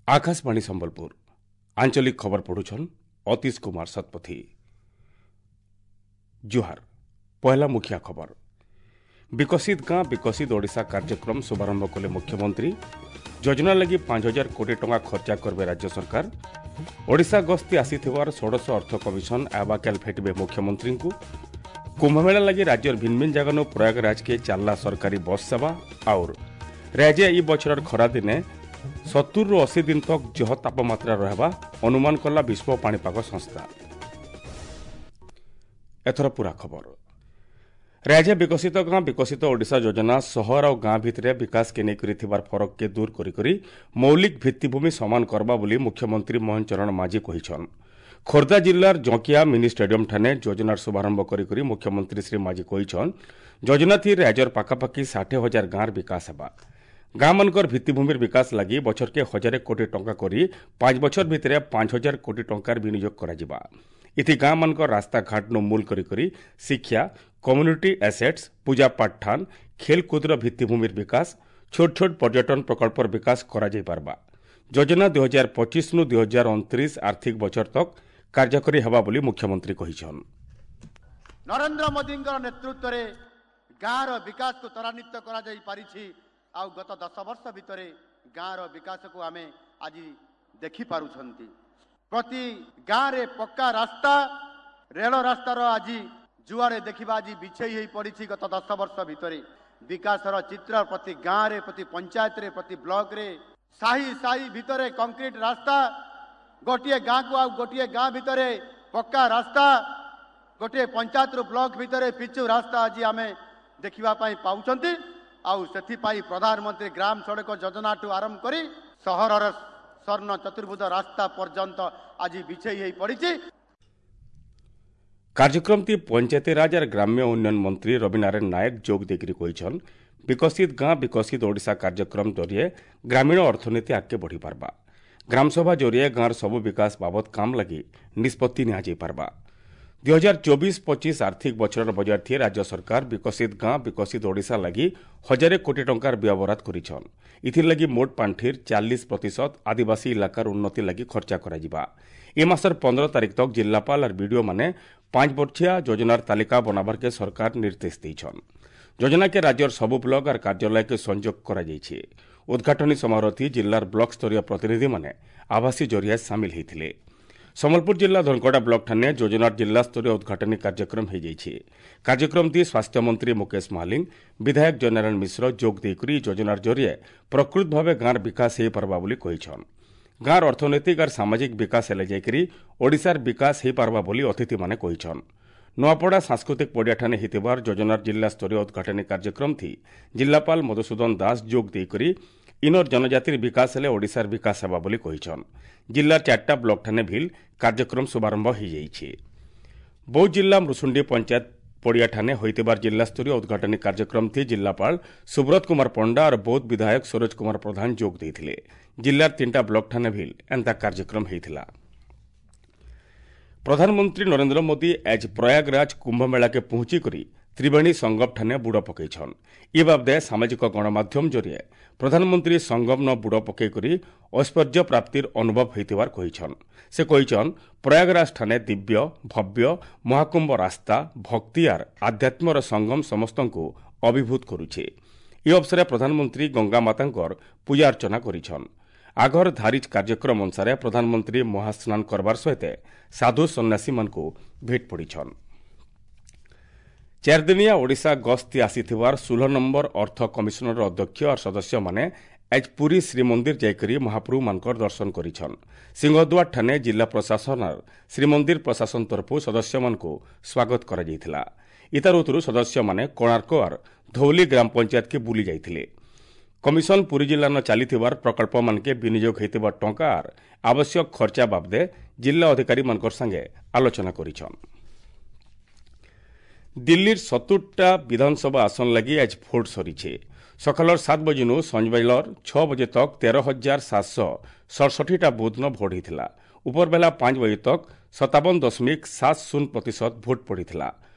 ଆକାଶବାଣୀ ସମ୍ବଲପୁର ଆଞ୍ଚଳିକ ଖବର ପଢୁଛନ୍ ଅତୀଶ କୁମାର ଶତପଥୀ। ଜୁହାର। ପହଲା ମୁଖିଆ ଖବର। ବିକଶିତ ଗାଁ ବିକଶିତ ଓଡ଼ିଶା କାର୍ଯ୍ୟକ୍ରମ ଶୁଭାରମ୍ଭ କଲେ ମୁଖ୍ୟମନ୍ତ୍ରୀ। ଯୋଜନା ଲାଗି 5000 କୋଟି ଟଙ୍କା ଖର୍ଚ୍ଚା କରିବେ ରାଜ୍ୟ ସରକାର। ଓଡ଼ିଶା ଗସ୍ତି ଆସିଥିବାର ଷୋଡ଼ଶ ଅର୍ଥ କମିଶନ ଆବାକାଲ ଭେଟିବେ ମୁଖ୍ୟମନ୍ତ୍ରୀଙ୍କୁ। କୁମ୍ଭମେଳା ଲାଗି ରାଜ୍ୟର ଭିନ୍ନ ଭିନ୍ନ ଜାଗାନୁ ପ୍ରୟାଗରାଜକେ ଚାଲିଲା ସରକାରୀ ବସ୍ ସେବା। ଆଉର ରାଜ୍ୟ ଇ ବଛରର ଖରାଦିନେ 70ରୁ 80 ଦିନ ତକ ଜହ ତାପମାତ୍ରା ରହିବା ଅନୁମାନ କଲା ବିଶ୍ୱ ପାଣିପାଗ ସଂସ୍ଥା। ଏଥର ପୁରା ଖବର। ରାଜ୍ୟ ବିକଶିତ ଗାଁ ବିକଶିତ ଓଡ଼ିଶା ଯୋଜନା ସହର ଆଉ ଗାଁ ଭିତରେ ବିକାଶକେ ନେଇକରି ଥିବାର ଫରକକେ ଦୂର କରି ମୌଳିକ ଭିତ୍ତିଭୂମି ସମାନ କରବା ବୋଲି ମୁଖ୍ୟମନ୍ତ୍ରୀ ମୋହନ ଚରଣ ମାଝୀ କହିଛନ୍। ଖୋର୍ଦ୍ଧା ଜିଲ୍ଲାର ଜଙ୍କିଆ ମିନି ଷ୍ଟାଡିୟମ ଠାନେ ଯୋଜନାର ଶୁଭାରମ୍ଭ କରି ମୁଖ୍ୟମନ୍ତ୍ରୀ ଶ୍ରୀ ମାଝୀ କହିଛନ୍, ଯୋଜନା ଥି ରାଜ୍ୟର ପାଖାପାଖି 60,000 ଗାଁର ବିକାଶ ହେବା। ଗାଁମାନଙ୍କର ଭିତ୍ତିଭୂମିର ବିକାଶ ଲାଗି ବଛରକେ 1000 କୋଟି ଟଙ୍କା କରି 5 ବଛର ଭିତରେ 5000 କୋଟି ଟଙ୍କାର ବିନିଯୋଗ କରାଯିବା। ଏଥି ଗାଁମାନଙ୍କର ରାସ୍ତାଘାଟନୁ ମୂଲ କରି ଶିକ୍ଷା, କମ୍ୟୁନିଟି ଆସେଟ୍ସ, ପୂଜାପାଠ ଠାନ୍, ଖେଲକୁଦର ଭିତ୍ତିଭୂମିର ବିକାଶ, ଛୋଟ ଛୋଟ ପର୍ଯ୍ୟଟନ ପ୍ରକଳ୍ପର ବିକାଶ କରାଯାଇପାରବା। ଯୋଜନା 2025 ନୁ 2029 ଆର୍ଥିକ ବଛର ତକ କାର୍ଯ୍ୟକାରୀ ହେବା ବୋଲି ମୁଖ୍ୟମନ୍ତ୍ରୀ କହିଛନ୍। ନରେନ୍ଦ୍ର ମୋଦିଙ୍କର ନେତୃତ୍ୱରେ ଗାଁର ବିକାଶକୁ ତ୍ୱରାନ୍ୱିତ କରାଯାଇ ପାରିଛି। ଆଉ ଗତ 10 ବର୍ଷ ଭିତରେ ଗାଁର ବିକାଶକୁ ଆମେ ଆଜି ଦେଖିପାରୁଛନ୍ତି। ପ୍ରତି ଗାଁରେ ପକ୍କା ରାସ୍ତା, ରେଳ ରାସ୍ତାର ଆଜି ଯୁଆଡ଼େ ଦେଖିବା ଆଜି ବିଛେଇ ହେଇ ପଡ଼ିଛି। ଗତ 10 ବର୍ଷ ଭିତରେ ବିକାଶର ଚିତ୍ର ପ୍ରତି ଗାଁରେ, ପ୍ରତି ପଞ୍ଚାୟତରେ, ପ୍ରତି ବ୍ଲକରେ, ସାହି ସାହି ଭିତରେ କଂକ୍ରିଟ ରାସ୍ତା, ଗୋଟିଏ ଗାଁକୁ ଆଉ ଗୋଟିଏ ଗାଁ ଭିତରେ ପକ୍କା ରାସ୍ତା, ଗୋଟିଏ ପଞ୍ଚାୟତରୁ ବ୍ଲକ ଭିତରେ ପିଚୁ ରାସ୍ତା ଆଜି ଆମେ ଦେଖିବା ପାଇଁ ପାଉଛନ୍ତି। ଆଉ ସେଥିପାଇଁ ପ୍ରଧାନମନ୍ତ୍ରୀ ଗ୍ରାମ ସଡ଼କ ଯୋଜନାଠୁ ଆରମ୍ଭ କରି ସହରର ସ୍ୱର୍ଣ୍ଣ ଚତୁର୍ଭୁଜ ରାସ୍ତା ପର୍ଯ୍ୟନ୍ତ ଆଜି ବିଛେଇ ହେଇ ପଡ଼ିଛି। କାର୍ଯ୍ୟକ୍ରମଟି ପଞ୍ଚାୟତିରାଜ ଆର୍ ଗ୍ରାମ୍ୟ ଉନ୍ନୟନ ମନ୍ତ୍ରୀ ରବିନାରାୟଣ ନାୟକ ଯୋଗ ଦେଇକରି କହିଛନ୍, ବିକଶିତ ଗାଁ ବିକଶିତ ଓଡ଼ିଶା କାର୍ଯ୍ୟକ୍ରମ ଜରିଏ ଗ୍ରାମୀଣ ଅର୍ଥନୀତି ଆଗକେ ବଢ଼ିପାରବା। ଗ୍ରାମସଭା ଜରିଏ ଗାଁର ସବୁ ବିକାଶ ବାବଦ କାମ ଲାଗି ନିଷ୍ପତ୍ତି ନିଆଯାଇପାରବା। 2024-25 ଆର୍ଥିକ ବଛରର ବଜେଟ୍ ଥି ରାଜ୍ୟ ସରକାର ବିକଶିତ ଗାଁ ବିକଶିତ ଓଡ଼ିଶା ଲାଗି 1000 କୋଟି ଟଙ୍କାର ବ୍ୟୟବରାଦ କରିଛନ୍। ଏଥିର୍ଲାଗି ମୋଟ ପାଣ୍ଠିର 40% ଆଦିବାସୀ ଇଲାକାର ଉନ୍ନତି ଲାଗି ଖର୍ଚ୍ଚା କରାଯିବା। ଏ ମାସର 15 ତାରିଖ ତକ ଜିଲ୍ଲାପାଳ ଆର୍ ବିଡିଓ ମାନେ 5 ବର୍ଷିଆ ଯୋଜନାର ତାଲିକା ବନାବାରକେ ସରକାର ନିର୍ଦ୍ଦେଶ ଦେଇଛନ୍। ଯୋଜନାକେ ରାଜ୍ୟର ସବୁ ବ୍ଲକ ଆର୍ କାର୍ଯ୍ୟାଳୟକେ ସଂଯୋଗ କରାଯାଇଛି। ଉଦ୍ଘାଟନୀ ସମାରୋହଥି ଜିଲ୍ଲାର ବ୍ଲକ ସ୍ତରୀୟ ପ୍ରତିନିଧିମାନେ ଆଭାସୀ ଜରିଆ ସାମିଲ ହୋଇଥିଲେ। ସମ୍ବଲପୁର ଜିଲ୍ଲା ଧନକଡ଼ା ବ୍ଲକ ଠାନେ ଯୋଜନାର ଜିଲ୍ଲାସ୍ତରୀୟ ଉଦ୍ଘାଟନୀ କାର୍ଯ୍ୟକ୍ରମ ହୋଇଯାଇଛି। କାର୍ଯ୍ୟକ୍ରମଟି ସ୍ୱାସ୍ଥ୍ୟମନ୍ତ୍ରୀ ମୁକେଶ ମହାଲିଙ୍ଗ, ବିଧାୟକ ଜୟନାରାୟଣ ମିଶ୍ର ଯୋଗ ଦେଇକରି ଯୋଜନାର ଜରିଏ ପ୍ରକୃତ ଭାବେ ଗାଁର ବିକାଶ ହୋଇପାରବା ବୋଲି କହିଛନ୍। ଗାଁର ଅର୍ଥନୈତିକ ଆର୍ ସାମାଜିକ ବିକାଶ ହେଲେ ଯାଇକରି ଓଡ଼ିଶାର ବିକାଶ ହୋଇପାରବା ବୋଲି ଅତିଥିମାନେ କହିଛନ୍। ନୂଆପଡ଼ା ସାଂସ୍କୃତିକ ପଡ଼ିଆଠାନେ ହୋଇଥିବାର ଯୋଜନାର ଜିଲ୍ଲାସ୍ତରୀୟ ଉଦ୍ଘାଟନୀ କାର୍ଯ୍ୟକ୍ରମଥି ଜିଲ୍ଲାପାଳ ମଧୁସୂଦନ ଦାସ ଯୋଗ ଦେଇକରି ଇନର ଜନଜାତିର ବିକାଶ ହେଲେ ଓଡ଼ିଶାର ବିକାଶ ହେବା ବୋଲି କହିଛନ୍। ଜିଲ୍ଲାର 4ଟା ବ୍ଲକଠାନେ ଭିଲ୍ କାର୍ଯ୍ୟକ୍ରମ ଶୁଭାରମ୍ଭ ହୋଇଯାଇଛି। ବୌଦ୍ଧ ଜିଲ୍ଲା ମୃଷୁଣ୍ଡି ପଞ୍ଚାୟତ ପଡ଼ିଆଠାନେ ହୋଇଥିବାର ଜିଲ୍ଲାସ୍ତରୀୟ ଉଦ୍ଘାଟନୀ କାର୍ଯ୍ୟକ୍ରମଥି ଜିଲ୍ଲାପାଳ ସୁବ୍ରତ କୁମାର ପଣ୍ଡା ଆର୍ ବୌଦ୍ଧ ବିଧାୟକ ସରୋଜ କୁମାର ପ୍ରଧାନ ଯୋଗ ଦେଇଥିଲେ। ଜିଲ୍ଲାର 3ଟା ବ୍ଲକଠାନେ ଭିଲ୍ ଏନ୍ତା କାର୍ଯ୍ୟକ୍ରମ ହୋଇଥିଲା। ପ୍ରଧାନମନ୍ତ୍ରୀ ନରେନ୍ଦ୍ର ମୋଦି ଆଜ ପ୍ରୟାଗରାଜ କୁମ୍ଭମେଳାକେ ପହଞ୍ଚିକରି ତ୍ରିବେଣୀ ସଙ୍ଗମ ଠାନେ ବୁଡ଼ ପକାଇଛନ୍। ଏ ବାବଦେ ସାମାଜିକ ଗଣମାଧ୍ୟମ ଜରିଏ ପ୍ରଧାନମନ୍ତ୍ରୀ ସଙ୍ଗମ ବୁଡ଼ ପକାଇକରି ଐଶ୍ୱର୍ଯ୍ୟ ପ୍ରାପ୍ତିର ଅନୁଭବ ହୋଇଥିବାର କହିଛନ୍। ସେ କହିଛନ୍, ପ୍ରୟାଗରାଜ ଠାନେ ଦିବ୍ୟ ଭବ୍ୟ ମହାକୁମ୍ଭ ରାସ୍ତା, ଭକ୍ତି ଆର୍ ଆଧ୍ୟାତ୍ମର ସଙ୍ଗମ ସମସ୍ତଙ୍କୁ ଅଭିଭୂତ କରୁଛେ। ଏ ଅବସରେ ପ୍ରଧାନମନ୍ତ୍ରୀ ଗଙ୍ଗା ମାତାଙ୍କର ପୂଜା ଅର୍ଚ୍ଚନା କରିଛନ୍। ଆଗର ଧାରିଜ କାର୍ଯ୍ୟକ୍ରମ ଅନୁସାରେ ପ୍ରଧାନମନ୍ତ୍ରୀ ମହାସ୍ନାନ କରବାର ସହିତ ସାଧୁ ସନ୍ନ୍ୟାସୀମାନଙ୍କୁ ଭେଟ ପଡ଼ିଛନ୍। 4 ଦିନିଆ ଓଡ଼ିଶା ଗସ୍ତି ଆସିଥିବାର 16 ନମ୍ବର ଅର୍ଥ କମିଶନର ଅଧ୍ୟକ୍ଷ ଆର୍ ସଦସ୍ୟମାନେ ଆଜ ପୁରୀ ଶ୍ରୀମନ୍ଦିର ଯାଇକରି ମହାପ୍ରଭୁମାନଙ୍କର ଦର୍ଶନ କରିଛନ୍। ସିଂହଦ୍ୱାର ଠାନେ ଜିଲ୍ଲା ପ୍ରଶାସନର ଶ୍ରୀମନ୍ଦିର ପ୍ରଶାସନ ତରଫରୁ ସଦସ୍ୟମାନଙ୍କୁ ସ୍ୱାଗତ କରାଯାଇଥିଲା। ଇତାର ଉତ୍ତରୁ ସଦସ୍ୟମାନେ କୋଣାର୍କ ଆର୍ ଧଉଲି ଗ୍ରାମ ପଞ୍ଚାୟତକେ ବୁଲି ଯାଇଥିଲେ। କମିଶନ ପୁରୀ ଜିଲ୍ଲାନ ଚାଲିଥିବାର ପ୍ରକଳ୍ପମାନକେ ବିନିଯୋଗ ହୋଇଥିବା ଟଙ୍କା ଆର୍ ଆବଶ୍ୟକ ଖର୍ଚ୍ଚା ବାବଦେ ଜିଲ୍ଲା ଅଧିକାରୀମାନଙ୍କର ସାଙ୍ଗେ ଆଲୋଚନା କରିଛନ୍। ଦିଲ୍ଲୀର 70ଟା ବିଧାନସଭା ଆସନ ଲାଗି ଆଜ ଭୋଟ ସରିছে। ସକାଳର 7 ବଜେନୁ ସଞ୍ଜବେଳର 6 ବଜେ ତକ 13,767ଟା ବୁଥ୍ନ ଭୋଟ ହୋଇଥିଲା। ଉପରବେଲା 5 ବଜେ ତକ 57.70% ଭୋଟ ପଡ଼ିଥିଲା।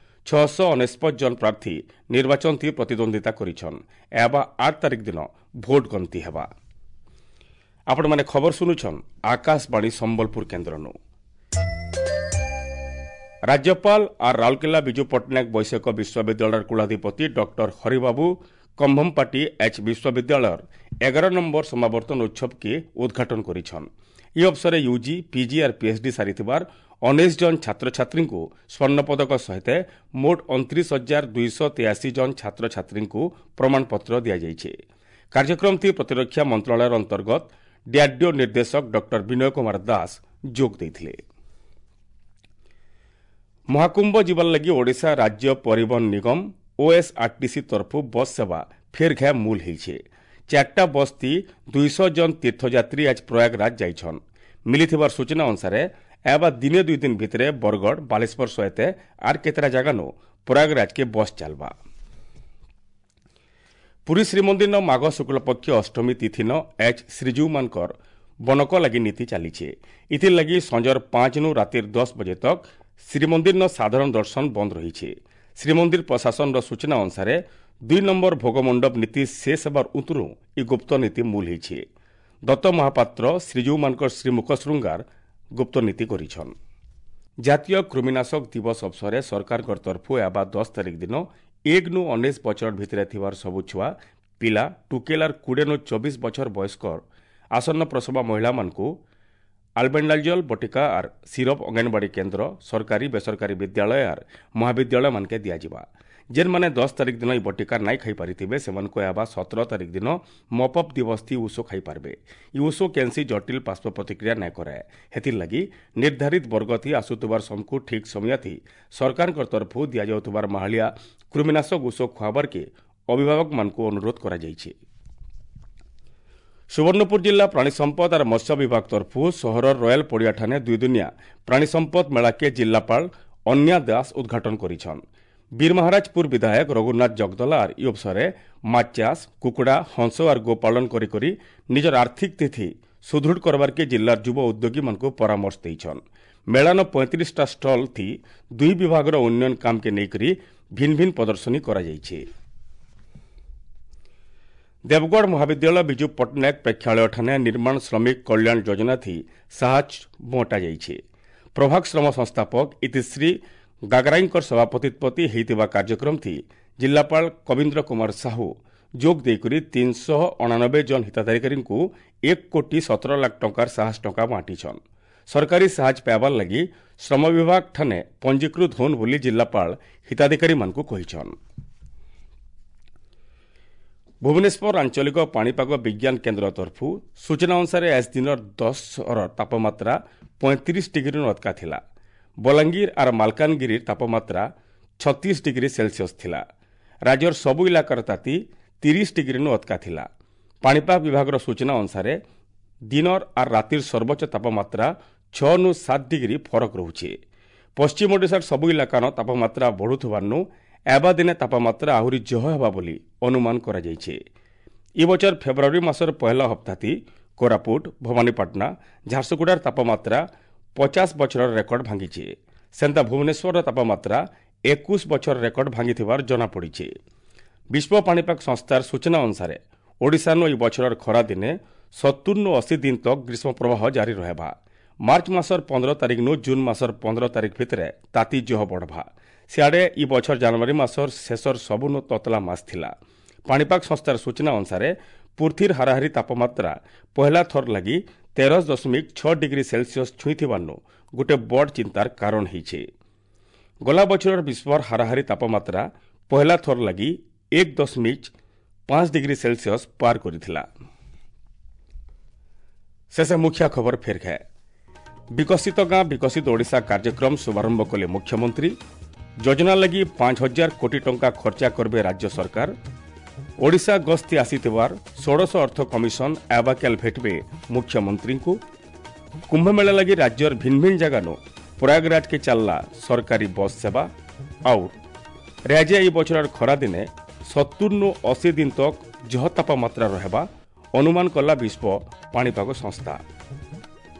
699 ଜଣ ପ୍ରାର୍ଥୀ ନିର୍ବାଚନ ଥି ପ୍ରତିଦ୍ୱନ୍ଦିତା କରିଛନ୍। ଏହା 8 ତାରିଖ ଦିନ ଭୋଟ ଗଣତି ହେବା। ଆପଣମାନେ ଖବର ଶୁଣୁଛନ୍ ଆକାଶବାଣୀ ସମ୍ବଲପୁର କେନ୍ଦ୍ରନୁ। ରାଜ୍ୟପାଳ ଆର୍ ରାଉରକେଲା ବିଜୁ ପଟ୍ଟନାୟକ ବୈଷୟିକ ବିଶ୍ୱବିଦ୍ୟାଳୟର କୁଳାଧିପତି ଡକ୍ଟର ହରିବାବୁ କମ୍ଭମପାଟି ଏଚ୍ ବିଶ୍ୱବିଦ୍ୟାଳୟର 11 ନମ୍ବର ସମାବର୍ତ୍ତନ ଉତ୍ସବକେ ଉଦ୍ଘାଟନ କରିଛନ୍। ଇ ଅବସରେ ୟୁଜି, ପିଜି ଆର୍ ପିଏଚ୍ଡି ସାରିଥିବାର 19 ଜଣ ଛାତ୍ରଛାତ୍ରୀଙ୍କୁ ସ୍ୱର୍ଣ୍ଣପଦକ ସହିତ ମୋଟ 29,283 ଜଣ ଛାତ୍ରଛାତ୍ରୀଙ୍କୁ ପ୍ରମାଣପତ୍ର ଦିଆଯାଇଛି। କାର୍ଯ୍ୟକ୍ରମଟି ପ୍ରତିରକ୍ଷା ମନ୍ତ୍ରଣାଳୟର ଅନ୍ତର୍ଗତ ଡିଆର୍ଡିଓ ନିର୍ଦ୍ଦେଶକ ଡକ୍ଟର ବିନୟ କୁମାର ଦାସ ଯୋଗ ଦେଇଥିଲେ। ମହାକୁମ୍ଭ ଯିବାର ଲାଗି ଓଡ଼ିଶା ରାଜ୍ୟ ପରିବହନ ନିଗମ ଓଏସ୍ଆର୍ଟିସି ତରଫରୁ ବସ୍ ସେବା ଫେର୍ ଘେ ମୂଲ ହେଇଛେ। 4ଟା ବସ୍ ଥି 200 ଜଣ ତୀର୍ଥଯାତ୍ରୀ ଆଜ ପ୍ରୟାଗରାଜ ଯାଇଛନ୍। ମିଳିଥିବାର ସୂଚନା ଅନୁସାରେ ଏବା ଦିନେ 2 ଦିନ ଭିତରେ ବରଗଡ଼, ବାଲେଶ୍ୱର ସହିତ ଆର୍ କେତେଟା ଜାଗାନୁ ପ୍ରୟାଗରାଜକେ ବସ୍ ଚାଲବା। ପୁରୀ ଶ୍ରୀମନ୍ଦିର ମାଘ ଶୁକ୍ଳପକ୍ଷ ଅଷ୍ଟମୀ ତିଥିନ ଏଚ୍ ଶ୍ରୀଜୀଉମାନଙ୍କର ବନକ ଲାଗି ନୀତି ଚାଲିଛେ। ଇଥିର୍ ଲାଗି ସଞ୍ଜର 5ନୁ ରାତିର 10 ବଜେ ତକ୍ ଶ୍ରୀମନ୍ଦିରର ସାଧାରଣ ଦର୍ଶନ ବନ୍ଦ ରହିছে। ଶ୍ରୀମନ୍ଦିର ପ୍ରଶାସନର ସୂଚନା ଅନୁସାରେ 2 ନମ୍ବର ଭୋଗମଣ୍ଡପ ନୀତି ଶେଷ ହେବାର ଉତରୁ ଇ ଗୁପ୍ତ ନୀତି ମୂଲ ହେଇଛେ। ଦତ୍ତ ମହାପାତ୍ର ଶ୍ରୀଜୀଉମାନଙ୍କର ଶ୍ରୀମୁଖ ଶୃଙ୍ଗାର ଗୁପ୍ତ ନୀତି କରିଛନ୍। ଜାତୀୟ କୃମିନାଶକ ଦିବସ ଅବସରରେ ସରକାରଙ୍କ ତରଫରୁ ଏବା 10 ତାରିଖ ଦିନ 1ନୁ 19 ବଛର ଭିତରେ ଥିବାର ସବୁ ଛୁଆ ପିଲା ଟୁକେଲାର 20ନୁ 24 ବଛର ବୟସ୍କର ଆସନ୍ନ ପ୍ରସବା ମହିଳାମାନଙ୍କୁ ଆଲବେଣ୍ଡାଜଲ ବଟିକା ଆର୍ ସିରପ୍ ଅଙ୍ଗନବାଡ଼ି କେନ୍ଦ୍ର, ସରକାରୀ ବେସରକାରୀ ବିଦ୍ୟାଳୟ ଆର୍ ମହାବିଦ୍ୟାଳୟ ମାନକେ ଦିଆଯିବା। ଯେନ୍ମାନେ 10 ତାରିଖ ଦିନ ଇ ବଟିକା ନାଇଁ ଖାଇପାରିଥିବେ ସେମାନଙ୍କୁ ଏହାବା 17 ତାରିଖ ଦିନ ମପଅପ୍ ଦିବସ ଥି ଉଷୋ ଖାଇପାରିବେ। ଇ ଉଷୋ କେନ୍ସି ଜଟିଲ ପାର୍ଶ୍ୱ ପ୍ରତିକ୍ରିୟା ନାଇଁ କରାଏ। ହେଥିର୍ଲାଗି ନିର୍ଦ୍ଧାରିତ ବର୍ଗ ଥି ଆସୁଥିବାର ସମକୁ ଠିକ୍ ସମୟ ଥି ସରକାରଙ୍କ ତରଫରୁ ଦିଆଯାଉଥିବାର ମାହାଳିଆ କୃମିନାଶକ ଉଷୋ ଖୁଆବାର୍କେ ଅଭିଭାବକମାନଙ୍କୁ ଅନୁରୋଧ କରାଯାଇଛି। ସୁବର୍ଣ୍ଣପୁର ଜିଲ୍ଲା ପ୍ରାଣୀ ସମ୍ପଦ ଆର୍ ମତ୍ସ୍ୟ ବିଭାଗ ତରଫରୁ ସହରର ରୟାଲ ପଡ଼ିଆଠାନେ 2 ଦିନିଆ ପ୍ରାଣୀ ସମ୍ପଦ ମେଳାକେ ଜିଲ୍ଲାପାଳ ଅନ୍ୟା ଦାସ ଉଦ୍ଘାଟନ କରିଛନ୍। ବୀରମହାରାଜପୁର ବିଧାୟକ ରଘୁନାଥ ଜଗଦଲା ଆର୍ ଇ ଅବସରରେ ମାଛ ଚାଷ, କୁକୁଡ଼ା, ହଂସ ଆର୍ ଗୋପାଳନ କରି କରି ନିଜର ଆର୍ଥିକ ସ୍ଥିତି ସୁଦୃଢ଼ କରବାର୍କେ ଜିଲ୍ଲାର ଯୁବ ଉଦ୍ୟୋଗୀମାନଙ୍କୁ ପରାମର୍ଶ ଦେଇଛନ୍। ମେଳାନ 35ଟା ଷ୍ଟଲ୍ ଥି 2 ବିଭାଗର ଉନ୍ନୟନ କାମକେ ନେଇକରି ଭିନ୍ନ ଭିନ୍ନ ପ୍ରଦର୍ଶନୀ କରାଯାଇଛି। ଦେବଗଡ଼ ମହାବିଦ୍ୟାଳୟ ବିଜୁ ପଟ୍ଟନାୟକ ପ୍ରେକ୍ଷାଳୟଠାନେ ନିର୍ମାଣ ଶ୍ରମିକ କଲ୍ୟାଣ ଯୋଜନା ଥି ସାହାଯ୍ୟ ବଣ୍ଟାଯାଇଛି। ପ୍ରଭାଗ ଶ୍ରମ ସଂସ୍ଥାପକ ଇତିଶ୍ରୀ ଗାଗରାଇଙ୍କର ସଭାପତିତ୍ୱ ହେଇଥିବା କାର୍ଯ୍ୟକ୍ରମ ଥି ଜିଲ୍ଲାପାଳ କବୀନ୍ଦ୍ର କୁମାର ସାହୁ ଯୋଗ ଦେଇକରି 389 ଜଣ ହିତାଧିକାରୀଙ୍କୁ 1 କୋଟି 17 ଲାଖ ଟଙ୍କାର ସାହାଯ୍ୟ ଟଙ୍କା ବାଣ୍ଟିଛନ୍। ସରକାରୀ ସାହାଯ୍ୟ ପାଇବାର ଲାଗି ଶ୍ରମ ବିଭାଗ ଠାନେ ପଞ୍ଜୀକୃତ ହୋନ୍ ବୋଲି ଜିଲ୍ଲାପାଳ ହିତାଧିକାରୀମାନଙ୍କୁ କହିଛନ୍। ଭୁବନେଶ୍ୱର ଆଞ୍ଚଳିକ ପାଣିପାଗ ବିଜ୍ଞାନ କେନ୍ଦ୍ର ତରଫରୁ ସୂଚନା ଅନୁସାରେ ଆଜ ଦିନର 10ର ତାପମାତ୍ରା 35 ଡିଗ୍ରୀରୁ ଅଟକା ଥିଲା। ବଲାଙ୍ଗୀର ଆର୍ ମାଲକାନଗିରିର ତାପମାତ୍ରା 36 ଡିଗ୍ରୀ ସେଲସିୟସ୍ ଥିଲା। ରାଜ୍ୟର ସବୁ ଇଲାକାର ତାତି 30 ଡିଗ୍ରୀନୁ ଅଟକା ଥିଲା। ପାଣିପାଗ ବିଭାଗର ସୂଚନା ଅନୁସାରେ ଦିନର ଆର୍ ରାତିର ସର୍ବୋଚ୍ଚ ତାପମାତ୍ରା 6ନୁ 7 ଡିଗ୍ରୀ ଫରକ ରହୁଛି। ପଶ୍ଚିମ ଓଡ଼ିଶାର ସବୁ ଇଲାକାର ତାପମାତ୍ରା ବଢ଼ୁଥିବାରୁ ଏବା ଦିନେ ତାପମାତ୍ରା ଆହୁରି ଜହ ହେବା ବୋଲି ଅନୁମାନ କରାଯାଇଛି। ଏ ବଛର ଫେବୃଆରୀ ମାସର ପହିଲା ହପ୍ତାତି କୋରାପୁଟ, ଭବାନୀପାଟଣା, ଝାରସୁଗୁଡ଼ାର ତାପମାତ୍ରା 50 ବଛରର ରେକର୍ଡ ଭାଙ୍ଗିଛି। ସେନ୍ତା ଭୁବନେଶ୍ୱରର ତାପମାତ୍ରା 21 ବଛର ରେକର୍ଡ ଭାଙ୍ଗିଥିବାର ଜଣାପଡ଼ିଛି। ବିଶ୍ୱ ପାଣିପାଗ ସଂସ୍ଥାର ସୂଚନା ଅନୁସାରେ ଓଡ଼ିଶାନୁ ଏହି ବଛରର ଖରାଦିନେ 70ନୁ 80 ଦିନ ତକ୍ ଗ୍ରୀଷ୍ମ ପ୍ରବାହ ଜାରି ରହିବା। ମାର୍ଚ୍ଚ ମାସର 15 ତାରିଖନୁ ଜୁନ୍ ମାସର 15 ତାରିଖ ଭିତରେ ତାତି ଜହ ବଢ଼ବା। ସିଆଡ଼େ ଇ ବଛର ଜାନୁଆରୀ ମାସର ଶେଷର ସବୁନୁ ତତଲା ମାସ ଥିଲା। ପାଣିପାଗ ସଂସ୍ଥାର ସୂଚନା ଅନୁସାରେ ପୃଥିବୀର ହାରାହାରି ତାପମାତ୍ରା ପହିଲା ଥର ଲାଗି 13.6 ଡିଗ୍ରୀ ସେଲସିୟସ୍ ଛୁଇଁଥିବାରୁ ଗୋଟେ ବଡ଼ ଚିନ୍ତାର କାରଣ ହେଇଛି। ଗଲା ବଛରର ବିଶ୍ୱର ହାରାହାରି ତାପମାତ୍ରା ପହିଲା ଥର ଲାଗି 1.5 ଡିଗ୍ରୀ ସେଲସିୟସ୍ ପାର କରିଥିଲା। ଶେଷ ମୁଖ୍ୟ ଖବର ଫେର ଖାଏ। ବିକଶିତ ଗାଁ ବିକଶିତ ଓଡ଼ିଶା କାର୍ଯ୍ୟକ୍ରମ ଶୁଭାରମ୍ଭ କଲେ ମୁଖ୍ୟମନ୍ତ୍ରୀ। ଯୋଜନା ଲାଗି 5,000 କୋଟି ଟଙ୍କା ଖର୍ଚ୍ଚା କରିବେ ରାଜ୍ୟ ସରକାର। ଓଡ଼ିଶା ଗସ୍ତି ଆସିଥିବାର ଷୋଡ଼ଶ ଅର୍ଥ କମିଶନ ଆବାକ୍ୟାଲ ଭେଟିବେ ମୁଖ୍ୟମନ୍ତ୍ରୀଙ୍କୁ। କୁମ୍ଭମେଳା ଲାଗି ରାଜ୍ୟର ଭିନ୍ନ ଭିନ୍ନ ଜାଗାନୁ ପ୍ରୟାଗରାଜକେ ଚାଲିଲା ସରକାରୀ ବସ୍ ସେବା। ଆଉ ରାଜ୍ୟ ଏଇ ବଛରର ଖରାଦିନେ 70ନୁ 80 ଦିନ ତକ୍ ଜହ ତାପମାତ୍ରା ରହିବା ଅନୁମାନ କଲା ବିଶ୍ୱ ପାଣିପାଗ ସଂସ୍ଥା।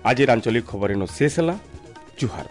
ଆଜିର ଆଞ୍ଚଳିକ ଖବର ଶେଷ ହେଲା। ଜୁହାର।